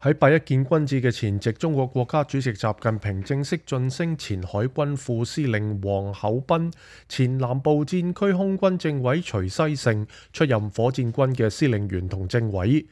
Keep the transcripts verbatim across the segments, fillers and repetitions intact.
喺八一建軍節嘅前夕，中國國家主席習近平正式晉升前海軍副司令王厚斌、前南部戰區空軍政委徐西盛出任火箭軍嘅司令員同政委。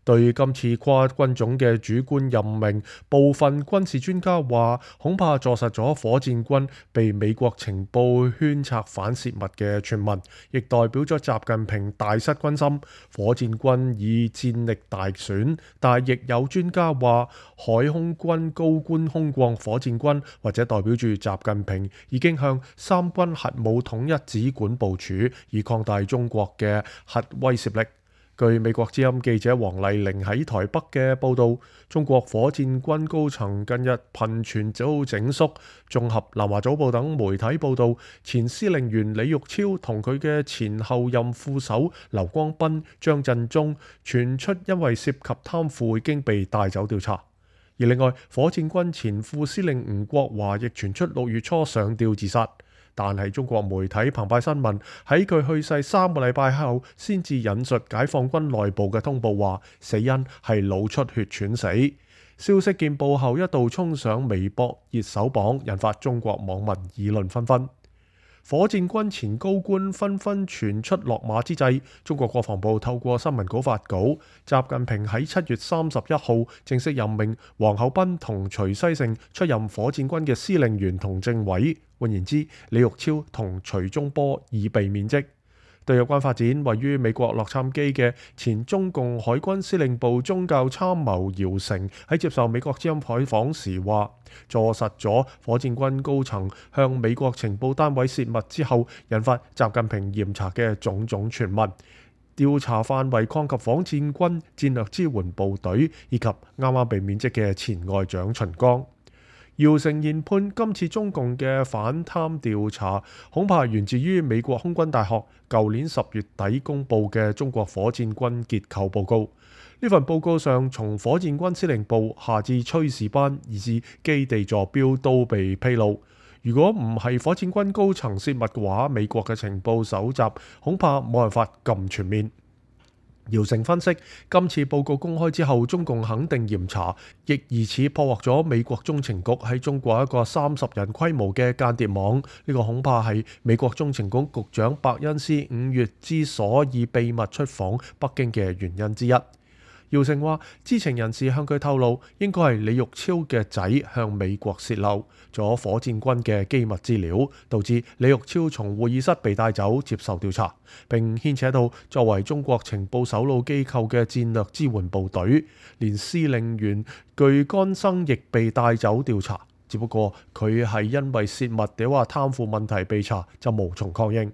對今次跨軍種嘅主官任命，部分軍事專家話恐怕坐實咗火箭軍被美國情報圈策反泄密嘅傳聞，亦代表咗習近平大失軍心，火箭軍以戰力大損。但亦有專家話，海空軍高官空降火箭軍，或者代表住習近平已經向三軍核武統一指管部署，以擴大中國嘅核威懾力。據美國之音記者黃麗玲喺台北嘅報道，中國火箭軍高層近日頻傳遭整肅。綜合南華早報等媒體報道，前司令員李玉超同佢嘅前後任副手劉光斌、張振中傳出因為涉及貪腐已經被帶走調查。而另外，火箭軍前副司令吳國華亦傳出六月初上吊自殺。但係中國媒體澎湃新聞喺佢去世三個禮拜後，先至引述解放軍內部嘅通報，話死因係腦出血喘死。消息見報後一度衝上微博熱搜榜，引發中國網民議論紛紛。火箭軍前高官紛紛傳出落馬之際，中國國防部透過新聞稿發稿，習近平喺七月三十一號正式任命王厚斌同徐西盛出任火箭軍嘅司令員同政委。換言之，李玉超同徐忠波已被免職。對有關發展，位於美國洛杉磯嘅前中共海軍司令部宗教參謀姚成喺接受美國之音採訪時話，坐實咗火箭軍高層向美國情報單位泄密之後，引發習近平嚴查嘅種種傳聞。調查範圍擴及火箭軍戰略支援部隊以及啱啱被免職嘅前外長秦剛。姚成研判今次中共嘅反貪調查恐怕源自於美國空軍大學舊年十月底公佈嘅中國火箭軍結構報告。呢份報告上，從火箭軍司令部下至炊事班以至基地座標都被披露。如果唔係火箭軍高層泄密嘅話，美國嘅情報搜集恐怕冇辦法咁全面。姚成分析，今次報告公開之後，中共肯定嚴查，亦疑似破獲咗美國中情局喺中國一個三十人規模嘅間諜網。呢、這個恐怕係美國中情局局長伯恩斯五月之所以秘密出訪北京嘅原因之一。姚成話，知情人士向佢透露，應該係李玉超嘅仔向美國泄漏咗火箭軍嘅機密資料，導致李玉超從會議室被帶走接受調查，並牽扯到作為中國情報首腦機構嘅戰略支援部隊，連司令員具乾生亦被帶走調查。只不過佢係因為泄密或話貪腐問題被查，就無從確認。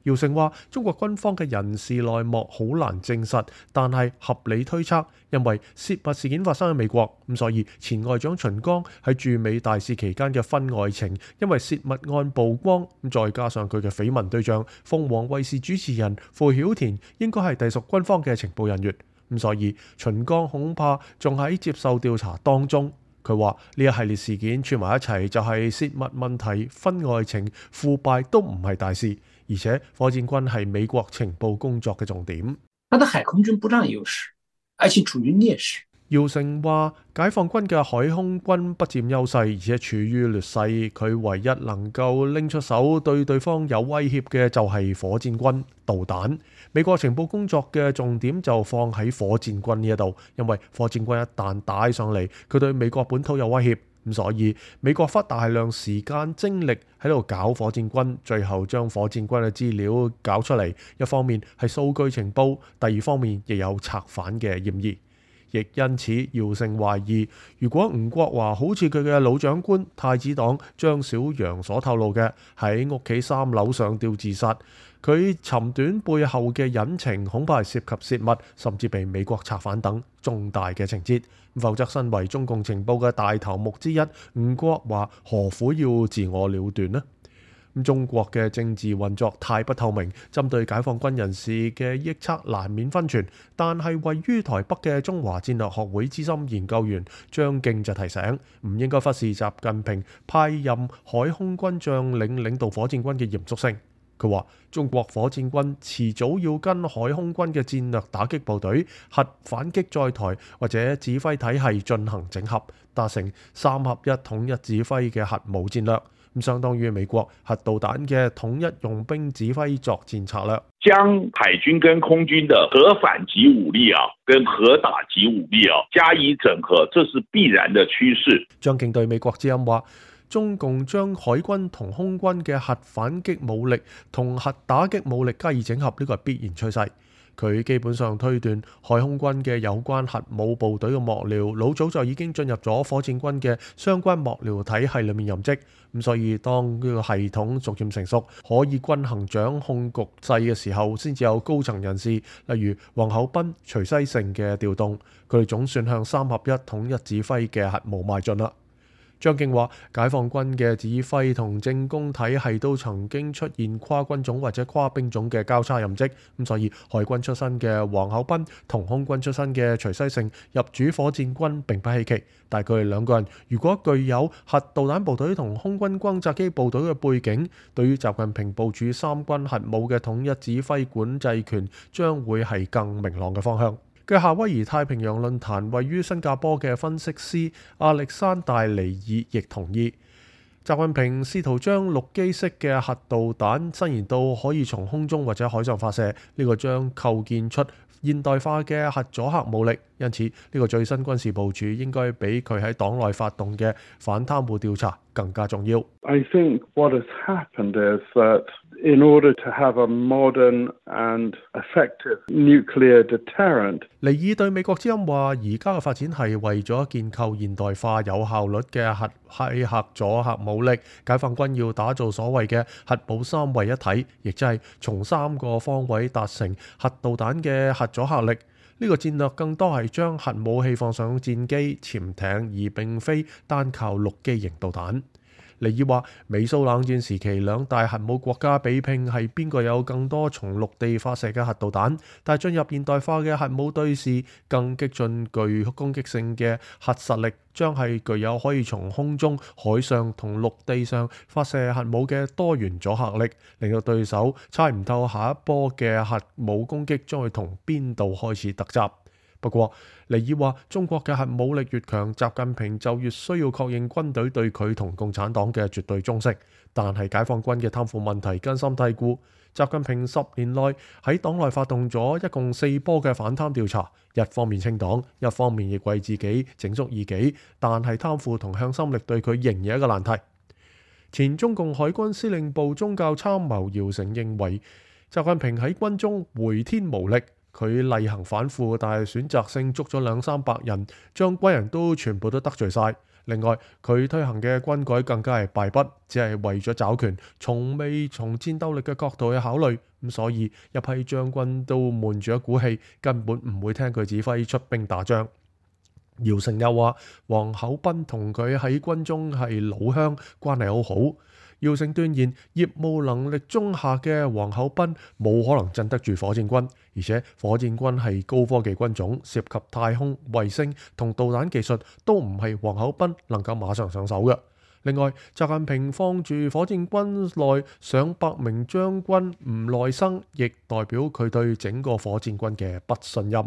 姚成話，中國軍方嘅人事內幕好難證實，但係合理推測，因為泄密事件發生喺美國，咁所以前外長秦剛喺駐美大使期間嘅婚外情，因為泄密案曝光，咁再加上佢嘅緋聞對象鳳凰衛視主持人傅曉田應該係隸屬軍方嘅情報人員，咁所以秦剛恐怕仲喺接受調查當中。佢話呢一系列事件串埋一齊，就係泄密問題、婚外情、腐敗都唔係大事。而且火箭軍係美國情報工作嘅重點。他的海空軍不佔優勢，而且處於劣勢。姚成話，解放軍嘅海空軍不佔優勢，而且處於劣勢。佢唯一能夠拎出手對對方有威脅嘅就係火箭軍導彈。美國情報工作嘅重點就放喺火箭軍呢一度，因為火箭軍一旦打上嚟，佢對美國本土有威脅。咁所以美國花大量時間精力喺度搞火箭軍，最後將火箭軍嘅資料搞出嚟。一方面係數據情報，第二方面亦有策反嘅嫌疑。亦因此，姚成懷疑，如果吳國華好似佢嘅老長官太子黨張小楊所透露嘅，喺屋企三樓上吊自殺，佢尋短背後嘅隱情恐怕係涉及泄密，甚至被美國策反等重大嘅情節。否則，身為中共情報嘅大頭目之一，吳國華何苦要自我了斷呢？中國嘅政治運作太不透明，針對解放軍人士嘅臆測難免分傳。但係位於台北嘅中華戰略學會資深研究員張敬就提醒，唔應該忽視習近平派任海空軍將領領導火箭軍嘅嚴肅性。佢話中國火箭軍遲早要跟海空軍嘅戰略打擊部隊、核反擊載台或者指揮體系進行整合，達成三合一統一指揮嘅核武戰略，咁相當於美國核導彈嘅統一用兵指揮作戰策略。將海軍跟空軍的核反擊武力啊，跟核打擊武力啊加以整合，這是必然的趨勢。張敬對美國之音話，中共將海軍同空軍嘅核反擊武力同核打擊武力加以整合，呢個係必然趨勢。佢基本上推斷海空軍嘅有關核武部隊嘅幕僚老早就已經進入咗火箭軍嘅相關幕僚體系裏面任職，咁所以當呢個系統逐漸成熟，可以均衡掌控局勢嘅時候，先至有高層人士，例如王厚斌、徐西盛嘅調動，佢哋總算向三合一統一指揮嘅核武邁進啦。張敬話，解放軍嘅指揮同政工體系都曾經出現跨軍種或者跨兵種嘅交叉任職，咁所以海軍出身嘅王厚斌同空軍出身嘅徐西盛入主火箭軍並不稀奇，但係佢哋兩個人如果具有核導彈部隊同空軍轟炸機部隊嘅背景，對於習近平部署三軍核武嘅統一指揮管制權將會係更明朗嘅方向。據夏威夷太平洋論壇位於新加坡嘅分析師亞歷山大尼爾亦同意，習近平試圖將陸基式嘅核導彈伸延到可以從空中或者海上發射，呢、這個將構建出現代化嘅核阻嚇武力，因此呢個最新軍事部署應該比佢喺黨內發動嘅反貪污調查更加重要。I think what has happened is that in order to have a modern and effective nuclear deterrent，尼爾對美國之音話：而家嘅發展係為咗建構現代化有效率嘅核係核阻嚇武力，解放軍要打造所謂嘅核武三位一體，亦即係從三個方位達成核導彈嘅核阻嚇力。呢個戰略更多係將核武器放上戰機、潛艇，而並非單靠陸基型導彈。尼爾話：美蘇冷戰時期兩大核武國家比拼係邊個有更多從陸地發射嘅核導彈，但係進入現代化嘅核武對峙，更激進具攻擊性嘅核實力，將係具有可以從空中、海上同陸地上發射核武嘅多元阻嚇力，令到對手猜唔透下一波嘅核武攻擊將會同邊度開始突襲。不過，尼爾話中國嘅核武力越強，習近平就越需要確認軍隊對佢同共產黨嘅絕對忠誠。但係解放軍嘅貪腐問題根深蒂固，習近平十年內喺黨內發動咗一共四波嘅反貪調查，一方面清黨，一方面亦為自己整肅異己，但係貪腐同向心力對佢仍然係一個難題。前中共海軍司令部宗教參謀姚成認為，習近平喺軍中回天無力。佢例行反腐，但係選擇性捉咗兩三百人，將軍人都全部都得罪晒。另外，佢推行嘅軍改更加係敗筆，只係為咗找權，從未從戰鬥力嘅角度去考慮。咁所以一批將軍都悶住一股氣，根本唔會聽佢指揮出兵打仗。姚成又話，王厚斌同佢喺軍中係老鄉，關係好好。姚成斷言，業務能力中下嘅王厚斌冇可能鎮得住火箭軍，而且火箭軍係高科技軍種，涉及太空、衛星同導彈技術，都唔係王厚斌能夠馬上上手嘅。另外，習近平放住火箭軍內上百名將軍唔耐生，亦代表佢對整個火箭軍嘅不信任。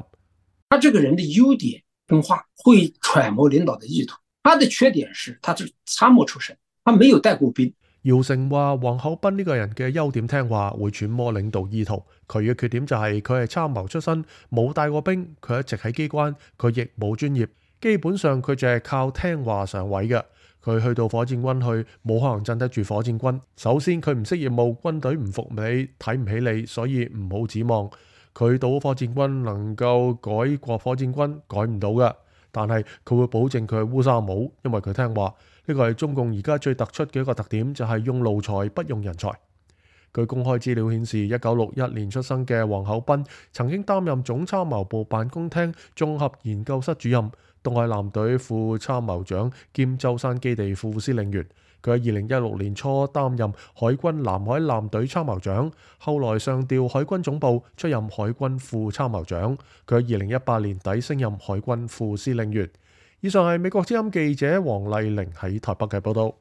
他這個人的優點聽話，會揣摩領導的意圖；他的缺點是，他是參謀出身，他沒有帶過兵。姚成話：王厚斌呢個人嘅優點聽話，會揣摩領導意圖。佢嘅缺點就係佢係參謀出身，冇帶過兵，佢一直喺機關，佢亦冇專業，基本上佢就係靠聽話上位嘅。佢去到火箭軍去，冇可能鎮得住火箭軍。首先佢唔識業務，軍隊唔服你，睇唔起你，所以唔好指望佢到火箭軍能夠改過火箭軍，改唔到嘅。但係佢會保證佢係烏紗帽，因為佢聽話。呢個係中共而家最突出嘅一個特點，就係用奴才不用人才。據公開資料顯示，一九六一年出生嘅王厚斌曾經擔任總參謀部辦公廳綜合研究室主任、東海艦隊副參謀長兼舟山基地副司令員。佢喺二零一六年初擔任海軍南海艦隊參謀長，後來上調海軍總部出任海軍副參謀長。佢喺二零一八年底升任海軍副司令員。以上係美國之音記者黃麗玲喺台北嘅報道。